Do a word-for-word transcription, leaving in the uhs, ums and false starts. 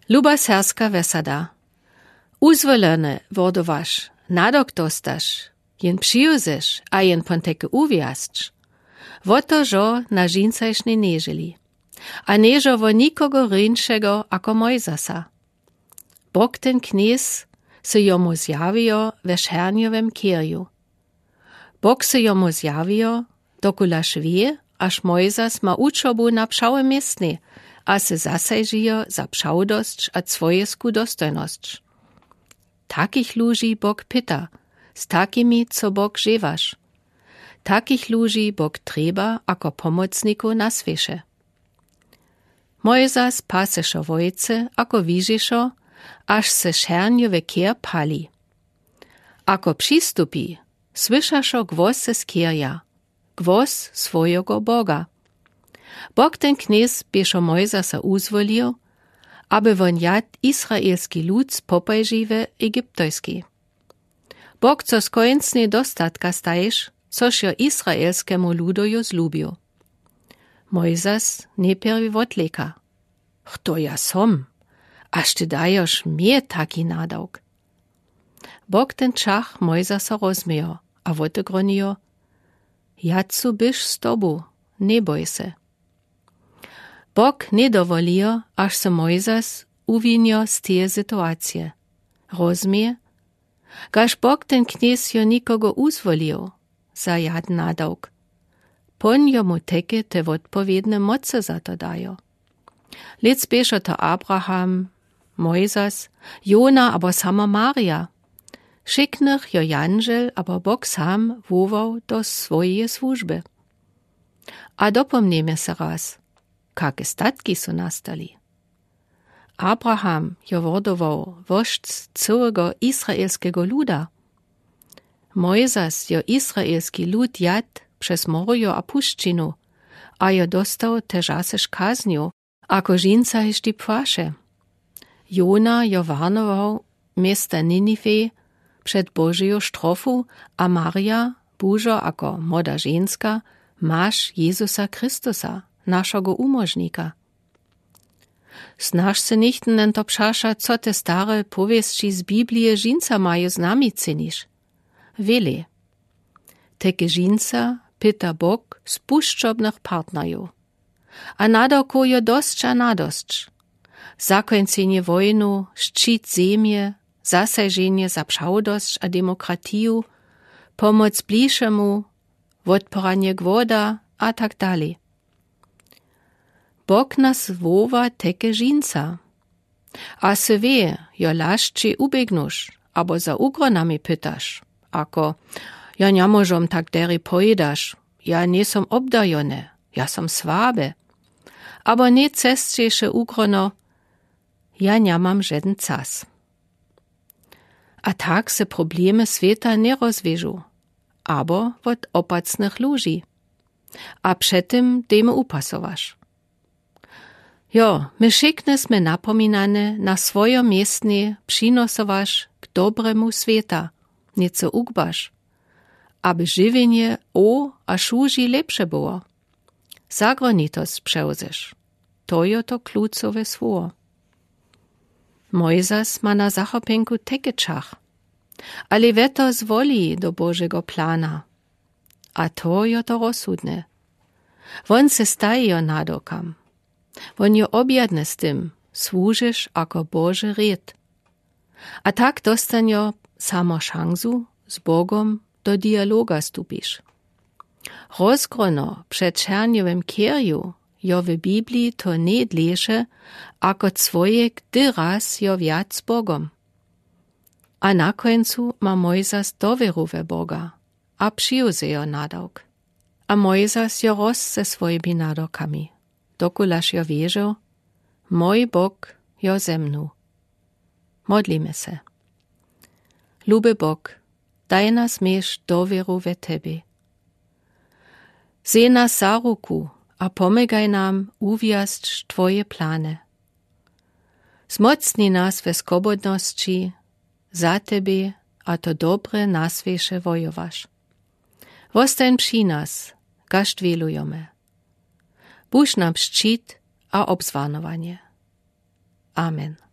Luba serbska wesada, uzwolony wordowaš, nadok dostaš, jen přijuzeš a jen pon teke uwiasć. Wo to žo na žincajšnje nježeli. A nježo wo nikogo rinšego ako Mojzasa. Bok ten knjez se jomu zjawijo we šernjowem kěrju. Bok se jomu zjawijo, dokulaž wě, aż Mojzas ma uczobu na přałe městnje, a se zasajžijo za přałdosć a cwojesku dostojnosć. Takich luži Bok pita, z takimi co Bok žewaš. Takich luži Bok trjeba ako pomocnikow na swěše. Mojzas paseše wojce ako wižišo, aż se šernjowy kěr pali. Ako přistupi, słyšašo głosy z kěrja, głos swojego Boga. Bok ten knjez běšo Mojzasa uzwolił, aby won jadł izraelski lud z popajži we Egiptejskej. Bok co skońcnje dostatka staješ, což jo izraelskemu ludoju zlubił. Mojzas njeprwi wotleka: Chto ja som, aż ty dajoš mie taki nadawk? Bok ten čach Mojzasa rozmiejo a wotegronijo: Jadzu byš z tobu, njeboj se. Bok njedowolijo, aż se Mojzas uwinjo z teje situacije. Rozmie, gaž Bok ten knjez jo nikogo uzwolił za jaden nadawk. Pon jomu teke te wotpowědne mocy za to dajo. Lec běšo to Abraham, Mojzas, Jona abo sama Marija. Wšiknjich jo jandźel abo Bok sam wołał do swojeje słužby. A dopomnijmy se raz, kake statki su nastali. Abraham jo wordował woždź cyłego izraelskego luda. Mojzas jo izraelski lud jadł přez morjo a pušćinu a jo dostał težasež kaznju, ako žińca hišti płaše. Jona jo warnował města Niniwe před Božeju štrofu, a Marija bužo ako młoda ženska maš Jezusa Chrystusa, našogo umóžnika. Snaž se nichtyn njeto přaša, co te stare powěsći z Biblije žińca majo znamicynić. Wjele. Teke žińca pyta Bok spušćobnych partnerjow. A nadawkow jo dosć a nadosć. Zakońcenje wojnu, šćit zemje, zasajženje za přałdosć a demokratiju, pomoc blišemu, wotpòranje głoda a tak dalej. Bok nas woła teke žińca. A sy wě, jo lašći uběgnuš abo za ugronami pytaš, ako: Ja njemóžom tak derje, pòjědaš, ja njejsom obdajony, ja som słaby. Abo nje cesćejše ugrono: Ja njemam žeden cas. A tak se problemy swěta njerozwěžu, abo wot opacnych luži. A před tym dejmy upasować. Jo, my wšikny smy napominane na swojo městnje přinosować k dobremu swěta, něco ugbaš, aby žiwjenje o a šuži lepše było. Zagrowni to sprzewzeš. To jo to klucowe słowo. Mojzas ma na zachopjenku teke čach, ale wjeto zwoli do Božego plana. A to jo to rozsudne. Won se staji jo nadawkam. Won jo objadny z tym, słužiš ako Boži rěd. A tak dostanjo samo šansu, z Bogom do dialoga stupiš. Rozgrono před šernjowem kěrju jo w Bibliji to njedleše, ako cwojek dyraz jo wjac z Bogom. A na kóncu ma Mojzas dowěru we Boga a přijmie jo nadawk. A Mojzas jo rosł ze swojimi nadawkami, dokulaž jo wěrzył: Mój Bóg jo ze mnu. Modlimy se. Luby Bóg, daj nas miec dowěru we Tebě. Wzej nas za ruku a pomagaj nam uwjazć Twoje plany. Zmocni nas we swobodnosći za Tebě a to dobre na swěše wojować. Wostań při nas, kaž dwělujemy. Budź nam šćit a obzwarnowanje. Amen.